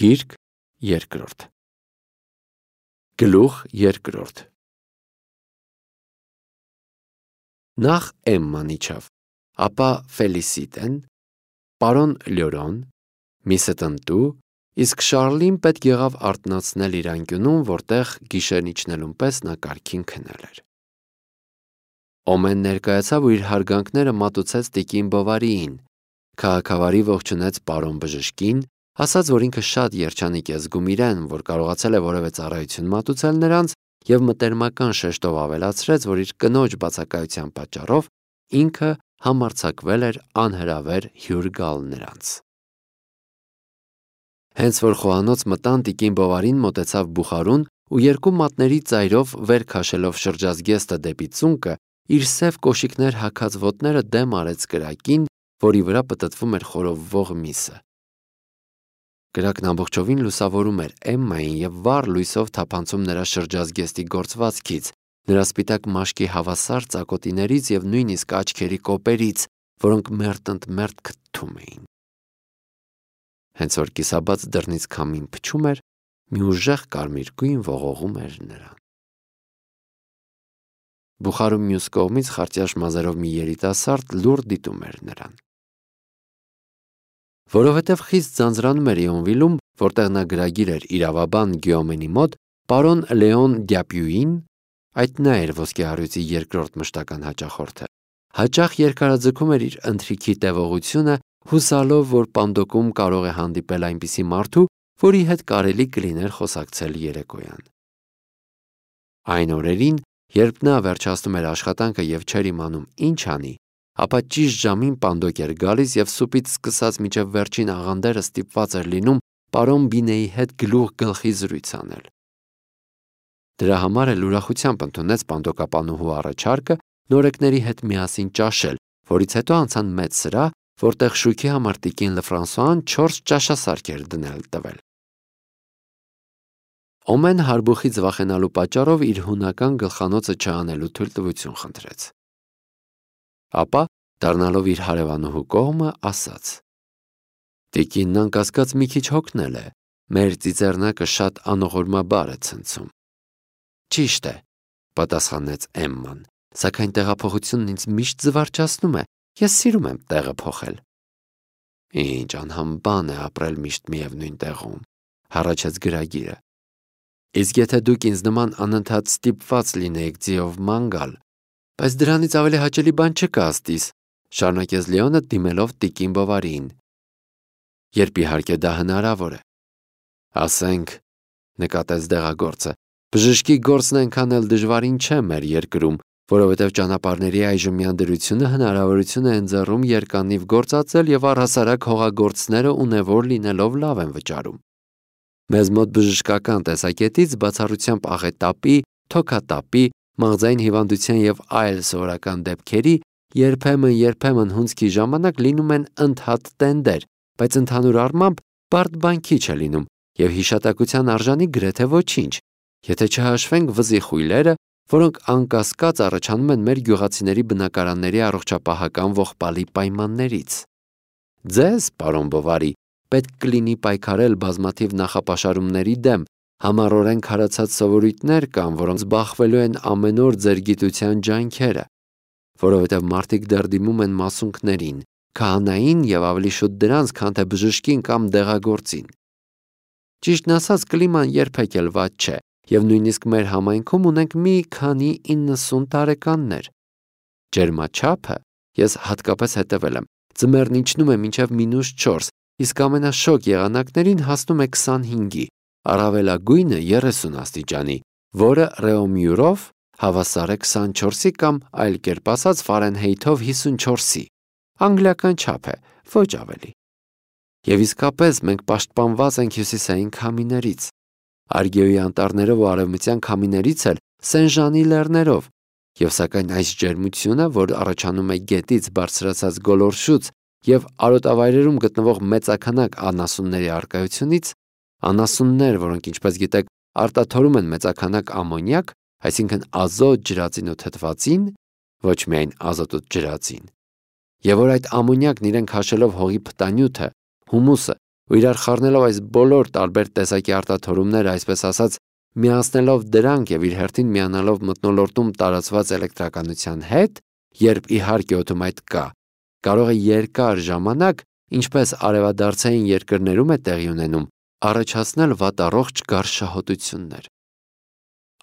Գիրք երկրորդ Գլուխ երկրորդ Նախ Էմման իջավ, ապա Ֆելիսիտեն, պարոն Լյորոն, միսը տնտու, իսկ Շարլին պետք եղավ արթնացնել իր անկյունում, որտեղ գիշերն իջնելուն պես նա կարգին քնել էր։ Օմեն ներկայացավ ու իր հարգանքները մատուցեց տիկին Բովարիին, քաղաքավարի ողջունեց պարոն բժշկին, ասաց, որ ինքը շատ երջանիկ է զգում իրեն, որ կարողացել է որևէ ծառայություն մատուցել նրանց և մտերմական շեշտով ավելացրեց, որ իր կնոջ բացակայության պատճառով ինքը համարձակվել էր անհրավեր հյուր գալ նրանց։ Հենց որ խոհանոց մտան, տիկին Բովարին մոտեցավ բուխարուն ու երկու մատների ծայրով վեր քաշելով շրջազգեստը դեպի ծունկը, իր սև կոշիկներ հագած ոտները դեմ արեց կրակին, որի վրա պտտվում էր խորովվող միսը։ Կրակն ամբողջովին լուսավորում էր Էմմային և վառ լույսով թափանցում նրա շրջազգեստի գործվածքից, նրա սպիտակ մաշկի հավասար ծակոտիներից և նույնիսկ աչքերի կոպերից, որոնք մերթ-ընդ-մերթ քթթում էին։ Հենց որ կիսաբաց դռնից քամին փչում էր, մի ուժեղ կարմիր գույն ողողում էր նրան։ Բուխարու մյուս կողմից խարտյաշ մազերով մի երիտասարդ լուռ դիտում էր նրան։ Որովհետև խիստ ձանձրանում էր Իոնվիլում, որտեղ նա գրագիր էր իրավաբան Գյոմենի մոտ, պարոն Լեոն Դյապյուին, այդ նա էր ոսկեհարույցի երկրորդ մշտական հաճախորդը, հաճախ երկարաձգում էր իր ընթրիքի տևողությունը, հուսալով, որ Պանդոկում կարող է հանդիպել այնպիսի մարդու, որի հետ կարելի կլիներ խոսակցել երեկոյան։ Այն օրերին, երբ նա վերջացնում էր աշխատանքը և չէր իմանում ինչ անի, ապա ճիշտ ժամին Պանդոկ էր գալիս և սուպից սկսած մինչև վերջին աղանդերը ստիպված էր լինում պարոն Բինեի հետ գլուխ գլխի զրույց անել։ Դրա համար էլ ուրախությամբ ընդունեց Պանդոկապանուհու առաջարկը նորեկների հետ միասին ճաշել, որից հետո անցան մեծ սրահ, որտեղ շուքի համար տիկին Լefrançois-ն 4 ճաշասարք էր դնել տվել։ Օմեն հարբուխից վախենալու պատճառով իր հունական գլխանոցը չանելու թույլտվություն խնդրեց։ Ապա, դառնալով իր հարևանուհու կողմը, ասաց. Տիկինն անկասկած մի քիչ հոգնել է, մեր ծիծեռնակը շատ անողորմաբար է ցնցում։ Ճիշտ է, պատասխանեց Էմման, սակայն տեղափոխությունն ինձ միշտ զվարճացնում է, ես սիրում եմ տեղը փոխել։ Ինչ անհամբան է ապրել միշտ միևնույն տեղում, հառաչեց գրագիրը։ Իսկ եթե դուք ինձ նման անընդհատ ստիպված լինեիք ձիով ման գալ, բայց դրանից ավելի հաճելի բան չկա աստիս, շարունակեց Լեոնը դիմելով տիկին Բովարիին։ Երբ իհարկե դա հնարավոր է։ Ասենք, նկատեց դեղագործը, բժշկի գործն այնքան էլ դժվարին չէ մեր երկրում, որովհետև ճանապարհների այժմյան դրությունը հնարավորություն է ընձեռում երկանիվ գործածել և առհասարակ հողագործները ունևոր լինելով լավ են վճարում։ Մեզ մոտ բժշկական տեսակետից բացառությամբ աղետապի, թոքատապի, մաղձային հիվանդության և այլ սովորական դեպքերի երբեմն հունձքի ժամանակ լինում են ընդհատ տենդեր, բայց ընդհանուր առմամբ բարդ բան քիչ է լինում և հիշատակության արժանի գրեթե ոչինչ, եթե չհաշվենք վզի խույլերը, որոնք անկասկած առաջանում են մեր գյուղացիների բնակարանների առողջապահական ողբալի պայմաններից։ Ձեզ, պարոն Բովարի, պետք կլինի պայքարել բազմաթիվ նախապաշարումների դեմ, համառորեն քարացած սովորույթներ կան, որոնց բախվելու են ամեն օր ձեր գիտության ջանքերը, որովհետև մարդիկ դեռ դիմում են մասունքներին, քահանային և ավելի շուտ դրանց, քան թե բժշկին կամ դեղագործին։ Ճիշտն ասած, կլիման երբեք էլ վատ չէ, և նույնիսկ մեր համայնքում ունենք մի քանի 90 տարեկաններ։ Ջերմաչափը, ես հատկապես հետևել եմ, ձմեռն իջնում է մինչև -4, իսկ ամենաշոգ եղանակներին հասնում է 25-ի, առավելագույնը 30 աստիճանի, որը ռեոմյուրով հավասար է 24-ի կամ այլ կերպ ասած Ֆարենհեյթով 54-ի, անգլիական չափ է, ոչ ավելի։ Եվ իսկապես մենք պաշտպանված ենք հյուսիսային քամիներից, Արգեոյի անտառներով ու արևմտյան քամիներից էլ Սեն-Ժանի լեռներով, և սակայն այս ջերմությունը, որ առաջանում է գետից բարձրացած գոլորշուց և արոտավայրերում գտնվող մեծաքանակ անասունների առկայությունից, անասուններ, որոնք, ինչպես գիտեք, արտաթորում են մեծաքանակ ամոնիակ, այսինքն ազոտ, ջրածին ու թթվածին, ոչ միայն ազոտ ու ջրածին, և որ այդ ամոնիակն իրեն քաշելով հողի փտանյութը, հումուսը ու իրար խառնելով այս բոլոր տարբեր տեսակի արտաթորումները, այսպես ասած, միացնելով դրանք եւ իր հերթին միանալով մթնոլորտում տարածված էլեկտրականության հետ, երբ իհարկե օդում այդ կա, կարող է երկար ժամանակ, ինչպես արևադարձային երկրներում է տեղի ունենում, առաջացնել վատառողջ գարշահոտություններ։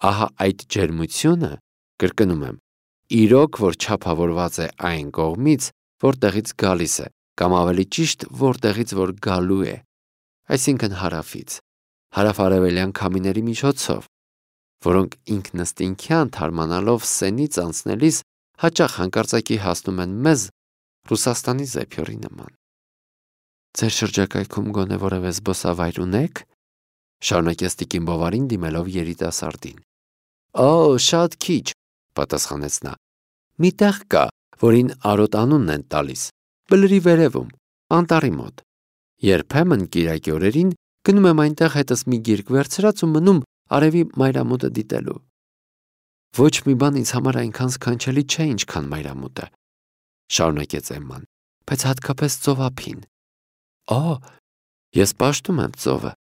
Ահա այդ ջերմությունը, կրկնում եմ, իրոք որ չափավորված է այն կողմից, որտեղից գալիս է, կամ ավելի ճիշտ, որտեղից որ գալու է, այսինքն հարավից, հարավ-արևելյան քամիների միջոցով, որոնք ինքնըստինքյան թարմանալով սենից անցնելիս հաճախ հանկարծակի հասնում են մեզ Ռուսաստանի զեփյորի նման։ Ձեր շրջակայքում գոնե որևէ զբոսավայր ունեք, շարունակեց տիկին Բովարին դիմելով երիտասարդին։ Օ, շատ քիչ, պատասխանեց նա։ Մի տեղ կա, որին Արոտ անունն են տալիս, Բլրի վերևում, անտառի մոտ։ Երբեմն կիրակի օրերին գնում եմ այնտեղ հետս մի գիրք վերցրած ու մնում արևի մայրամուտը դիտելու։ Ոչ մի բան ինձ համար այնքան սքանչելի չէ, ինչքան մայրամուտը, շարունակեց Էմման, բայց հատկապես ծովափին։ Օ, ես պաշտում եմ ծովը,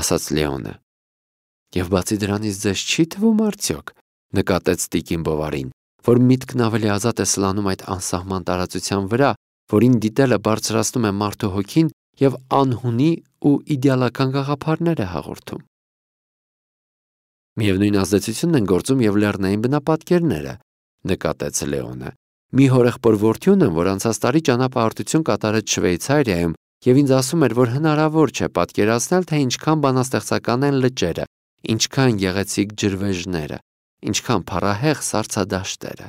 ասաց Լեոնը։ Եվ բացի դրանից ձեզ չի թվում արդյոք, նկատեց տիկին Բովարին, որ միտքն ավելի ազատ է սլանում այդ անսահման տարածության վրա, որին դիտելը բարձրացնում է մարդու հոգին և անհունի ու իդեալական գաղափարներ է հաղորդում։ Միևնույն ազդեցությունն են գործում և լեռնային բնապատկերները, նկատեց Լեոնը։ Մի հորեղբոր որդի ունեմ, որ անցած տարի ճանապարհորդություն կատարեց Շվեյցարիայում և ինձ ասում էր, որ հնարավոր չէ պատկերացնել, թե ինչքան բանաստեղծական են լճերը, ինչքան գեղեցիկ ջրվեժները, ինչքան փառահեղ սառցադաշտերը։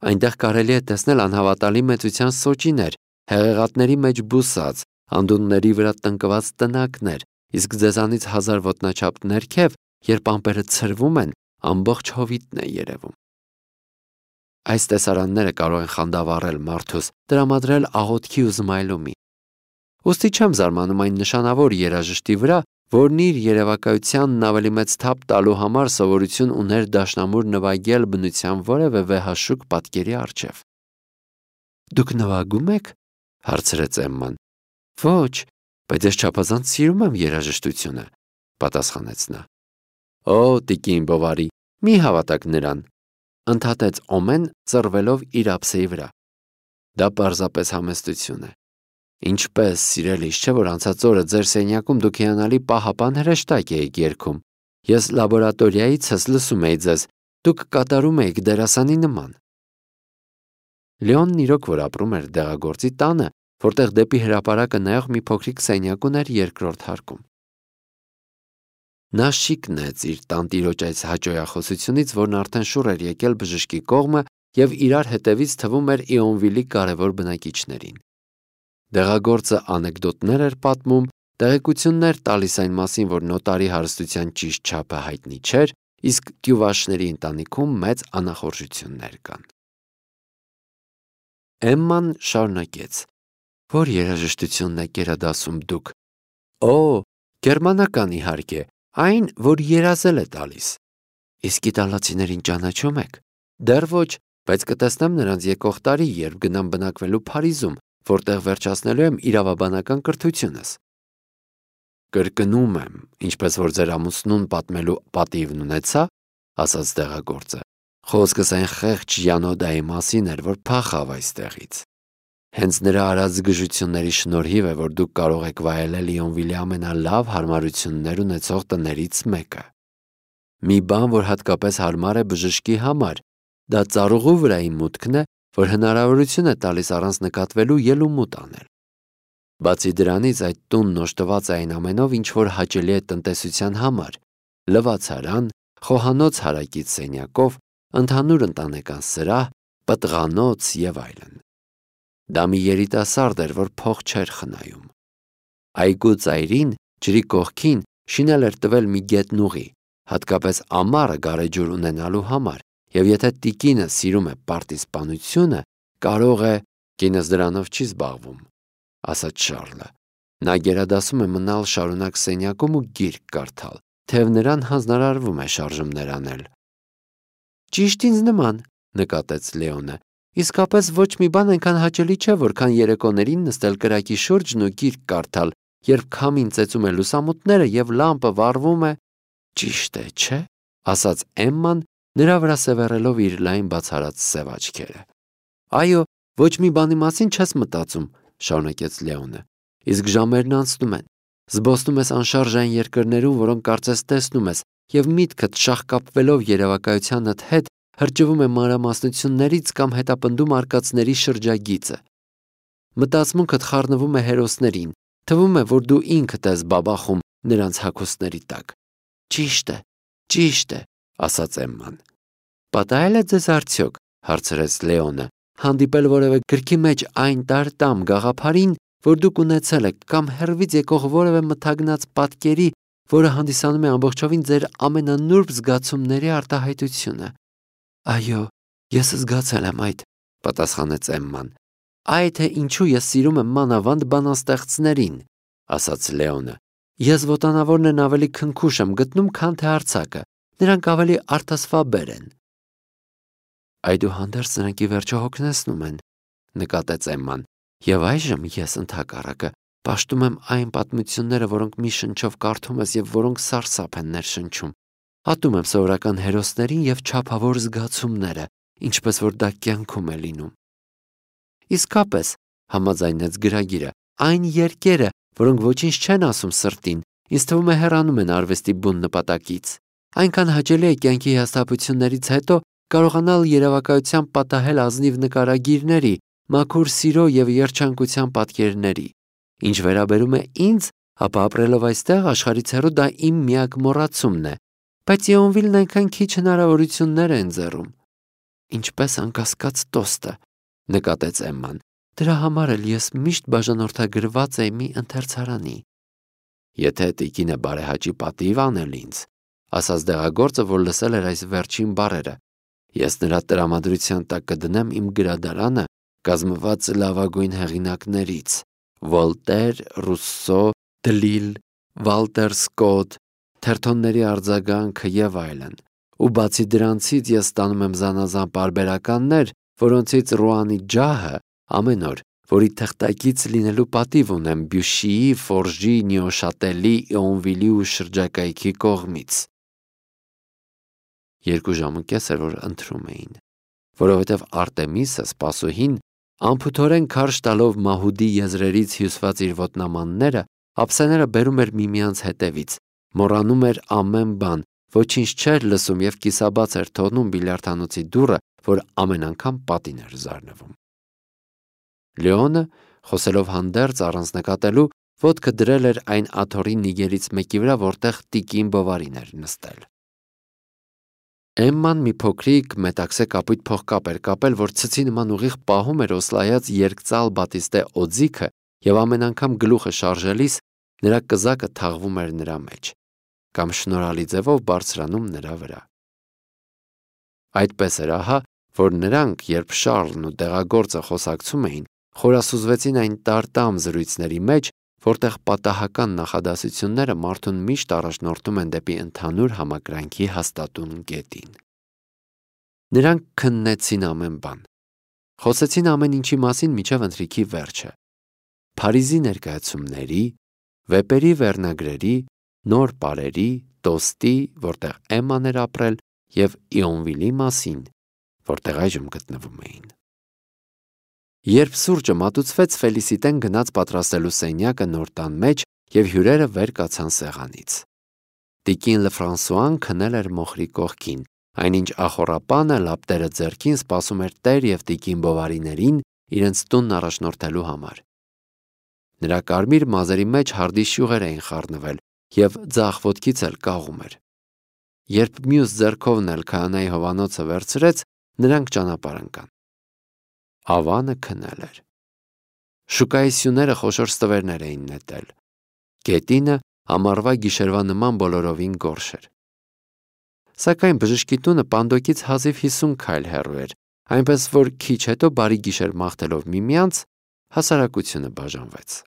Այնտեղ կարելի է տեսնել անհավատալի մեծության սոճիներ, հեղեղատների մեջ բուսած, անդունների վրա տնկված տնակներ, իսկ ձեզանից 1000 ոտնաչափ ներքև, երբ ամպերը ցրվում են, ամբողջ հովիտն է երևում։ Այս տեսարանները կարող են խանդավառել մարդուս, տրամադրել աղոթքի ու զմայլումի։ Ուստի չեմ զարմանում այն նշանավոր երաժշտի վրա, որն իր երևակայությանն ավելի մեծ թափ տալու համար սովորություն ուներ դաշնամուր նվագել բնության որևէ վեհաշուկ պատկերի առջև։ Դուք նվագում եք, հարցրեց Էմման։ Ոչ, բայց ես չափազանց սիրում եմ երաժշտությունը, պատասխանեց նա։ Օ, տիկին Բովարի, մի հավատաք նրան, ընդհատեց Օմեն, ծռվելով իր ափսեի վրա։ Դա պարզապես համեստություն է։ Ինչպես, սիրելիս, չէ՞ որ անցած օրը ձեր սենյակում դուք հիանալի պահապան հրեշտակ էիք երգում։ Ես լաբորատորիայիցս լսում էի ձեզ, դուք կատարում էիք դերասանի նման։ Լեոնն իրոք որ ապրում էր դեղագործի տանը, որտեղ դեպի հրապարակը նայող մի փոքրիկ սենյակ ուներ երկրորդ հարկում։ Նա շիկ նեց իր տանտիրոջ այս հաճոյախոսությունից, որն արդեն շուռ էր եկել բժշկի կողմը և իրար հետևից թվում էր Իոնվիլի կարևոր բնակիչներին։ Դեղագործը անեկդոտներ էր պատմում, տեղեկություններ տալիս այն մասին, որ նոտարի հարստության ճիշտ չափը հայտնի չէր, իսկ Տյուվաշների ընտանիքում մեծ անախորժություններ կան։ Էմման շարունակեց. Որ երաժշտությունն եք գերադասում դուք։ Օ, գերմանական իհարկե, այն, որ երազել է տալիս։ Իսկ իտալացիներին ճանաչում եք։ Դեռ ոչ, բայց կտեսնեմ նրանց եկող տարի, երբ գնամ բնակվելու Փարիզում, որտեղ վերջացնելու եմ իրավաբանական կրթությունս։ Կրկնում եմ, ինչպես որ ձեր ամուսնուն պատմելու պատիվն ունեցա, ասաց դեղագործը։ Խոսքս այն խեղճ Յանոդայի մասին էր, որ փախավ այստեղից։ Հենց նրա արած զգժությունների շնորհիվ է, որ դուք կարող եք վայելել Իոնվիլի ամենալավ հարմարություններ ունեցող տներից մեկը։ Մի բան, որ հատկապես հարմար է բժշկի համար, դա ծառուղու վրայի մուտքն է, որ հնարավորություն է տալիս առանց նկատվելու ելումուտ անել։ Բացի դրանից այդ տունն օժտված է այն ամենով, ինչ որ հաճելի է տնտեսության համար՝ լվացարան, խոհանոց հարակից սենյակով, ընդհանուր ընտանեկան սրահ, պտղանոց և այլն։ Դա մի երիտասարդ էր, որ փող չէր խնայում։ Այգու ծայրին, ջրի կողքին, շինել էր տվել մի գետնուղի, հատկապես ամառը գարեջուր ունենալու համար, և եթե տիկինը սիրում է պարտիզպանությունը, կարող է… Կինս դրանով չի զբաղվում, ասաց Շառլը։ Նա գերադասում է մնալ շարունակ սենյակում ու գիրք կարդալ, թեև նրան հանձնարարվում է շարժումներ անել։ Ճիշտ ինձ նման, նկատեց Լեոնը, Իսկապես ոչ մի բան այնքան հաճելի չէ, որքան երեկոներին նստել կրակի շուրջն ու գիրք կարդալ, երբ քամին ծեծում է լուսամուտները եւ լամպը վառվում է։ Ճիշտ է, չէ՞, ասաց Էմման, նրա վրա սևեռելով իր լայն բացառած սև աչքերը։ Այո, ոչ մի բանի մասին չես մտածում, շարունակեց Լեոնը։ Իսկ ժամերն անցնում են։ Զբոսնում ես անշարժ այն երկրներում, որոնք կարծես տեսնում ես, եւ միտքդ շաղկապվելով երևակայությանդ հետ հրճվում է մանրամասնություններից կամ հետապնդում արկածների շրջագիծը։ Մտածմունքդ խառնվում է հերոսներին, թվում է, որ դու ինքդ ես բաբախում նրանց հագուստների տակ։ Ճիշտ է, ասաց Էմման։ Պատահել է ձեզ արդյոք, հարցրեց Լեոնը, հանդիպել որևէ գրքի մեջ այն տարտամ գաղափարին, որ դուք ունեցել եք, կամ հեռվից եկող որևէ մթագնած պատկերի, որը հանդիսանում է ամբողջովին ձեր ամենանուրբ զգացումների արտահայտությունը։ Այո, ես զգացել եմ այդ, պատասխանեց Էմման։ Այ թե ինչու ես սիրում եմ մանավանդ բանաստեղծներին, ասաց Լեոնը։ Ես ոտանավորն են ավելի քնքուշ եմ գտնում, քան թե արձակը, նրանք ավելի արտասվաբեր են։ Այդուհանդերձ նրանք ի վերջո հոգնեցնում են, նկատեց Էմման, եւ այժմ ես ընդհակառակը պաշտում եմ այն պատմությունները, որոնք մի շնչով կարդում ես եւ որոնք սարսափ են ներշնչում։ Ատում եմ սովորական հերոսներին եւ չափավոր զգացումները, ինչպես որ դա կյանքում է լինում։ Իսկապես, համաձայնեց գրագիրը, այն երկերը, որոնք ոչինչ չեն ասում սրտին, ինձ թվում է հեռանում են արվեստի բուն նպատակից։ Այնքան հաճելի է կյանքի հիասթափություններից հետո կարողանալ երևակայության պատահել ազնիվ նկարագիրների, մաքուր սիրո եւ երջանկության պատկերների։ Ինչ վերաբերում է ինձ, ապա ապրելով այստեղ աշխարհից հեռու դա իմ միակ մոռացումն է, բայց Եոնվիլն այնքան քիչ հնարավորություններ է ընձեռում։ Ինչպես անկասկած տոստը, նկատեց Էմման։ Դրա համար էլ ես միշտ բաժանորդագրված էի մի ընթերցարանի։ Եթե տիկինը բարեհաճի պատիվ անել ինձ, ասաց դեղագործը, որ լսել էր այս վերջին բառերը, ես նրա տրամադրության տակ կդնեմ իմ գրադարանը, կազմված լավագույն հեղինակներից՝ Վոլտեր, Ռուսսո, Դլիլ, Վալտեր Սկոտ, թերթոնների արձագանքը եւ այլն։ Ու բացի դրանցից ես ստանում եմ զանազան պարբերականներ, որոնցից Ռուանի ջահը ամեն օր, որի թղթակից լինելու պատիվ ունեմ Բյուշիի, Ֆորժի, Նյուշատելի, Իոնվիլի ու շրջակայքի կողմից։ 2 ժամը կես էր, որ ընթրում էին, որովհետև Արտեմիսը, սպասուհին, անփութորեն քարշ տալով Մահուդի եզրերից հյուսված իր ոտնամանները, ափսեները բերում էր միմյանց հետևից, մոռանում էր ամեն բան, ոչինչ չէր լսում եւ կիսաբաց էր թողնում բիլիարդանոցի դուռը, որ ամեն անգամ պատին էր զարնվում։ Լեոնը, խոսելով հանդերձ առանց նկատելու, ոտքը դրել էր այն աթոռի նիգերից մեկի վրա, որտեղ տիկին Բովարին էր նստել։ Էմման մի փոքրիկ մետաքսե կապույտ փողկապ էր կապել, որ ցցի նման ուղիղ պահում էր օսլայած երկծալ բատիստե օձիքը եւ ամեն անգամ գլուխը շարժելիս նրա կզակը թաղվում էր նրա մեջ կամ շնորհալի ձևով բարձրանում նրա վրա։ Այդպես էր ահա, որ նրանք, երբ Շառլն ու դեղագործը խոսակցում էին, խորասուզվեցին այն տարտամ զրույցների մեջ, որտեղ պատահական նախադասությունները մարդուն միշտ առաջնորդում են դեպի ընդհանուր համակրանքի հաստատուն կետին։ Նրանք քննեցին ամեն բան։ Խոսեցին ամեն ինչի մասին մինչև ընթրիքի վերջը։ Փարիզի ներկայացումների, վեպերի վերնագրերի, նոր պարերի, տոստի, որտեղ Էմման էր ապրել, եւ Իոնվիլի մասին, որտեղ այժմ գտնվում էին։ Երբ սուրճը մատուցվեց, Ֆելիսիտեն գնաց պատրաստելու սենյակը նոր տան մեջ եւ հյուրերը վեր կացան սեղանից։ Տիկին Լեֆրանսուան քնել էր մոխրի կողքին, այնինչ ախոռապանը լապտերը ձեռքին սպասում էր տեր եւ տիկին Բովարիներին իրենց տունն առաջնորդելու համար։ Նրա կարմիր մազերի մեջ հարդի շյուղեր էին խառնվել եւ ձախ ոտքից էլ կաղում էր։ Երբ մյուս ձեռքովն էլ քահանայի հովանոցը վերցրեց, նրանք ճանապարհ ընկան։ Ավանը քնել էր։ Շուկայի սյուները խոշոր ստվերներ էին նետել։ Գետինը ամառվա գիշերվա նման բոլորովին գորշ էր։ Սակայն բժշկի տունը Պանդոկից հազիվ 50 քայլ հեռու էր, այնպես որ քիչ հետո բարի գիշեր մաղթելով միմյանց, հասարակությունը բաժանվեց։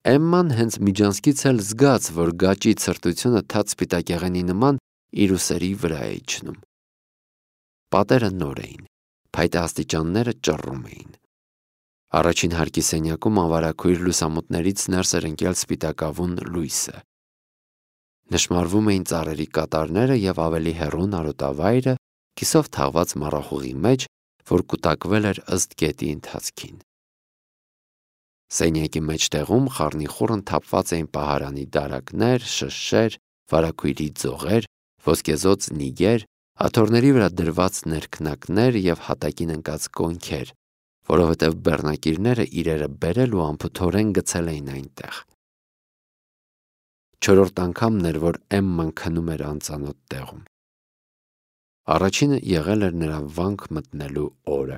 Էմման հենց միջանցքից էլ զգաց, որ գաճի ցրտությունը թաց սպիտակեղենի նման իր ուսերի վրա է իջնում։ Պատերը նոր էին, փայտե աստիճանները ճռռում էին։ Առաջին հարկի սենյակում անվարակույր լուսամուտներից ներս էր ընկել սպիտակավուն լույսը։ Նշմարվում էին ծառերի կատարները և ավելի հեռուն արոտավայրը կիսով թաղված մառախուղի մեջ, որ կուտակվել էր ըստ գետի ընթացքին։ Սենյակի մեջտեղում խառնիխուռն թափված էին պահարանի դարակներ, շշեր, վարակույրի ձողեր, ոսկեզօծ նիգեր, աթոռների վրա դրված ներքնակներ և հատակին ընկած կոնքեր, որովհետև բեռնակիրները իրերը բերել ու անփութորեն գցել էին այնտեղ։ Չորրորդ անգամն էր, որ Էմման քնում էր անծանոթ տեղում։ Առաջինը եղել էր նրա վանք մտնելու օրը,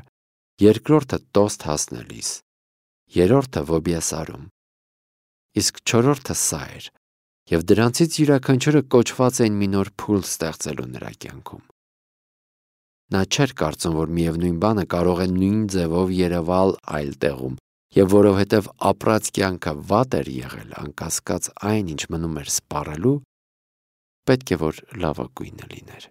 երկրորդը տոստ հասնելիս, երրորդը Վոբիասարում, իսկ չորրորդը սա էր, և դրանցից յուրաքանչյուրը կոչված էին մի նոր փուլ ստեղծելու նրա կյանքում։ Նա չէր կարծում, որ միևնույն բանը կարող է նույն ձևով երևալ այլ տեղում, և որովհետև ապրած կյանքը վատ էր եղել, անկասկած այն, ինչ մնում էր սպառելու, պետք է որ լավագույնը լիներ։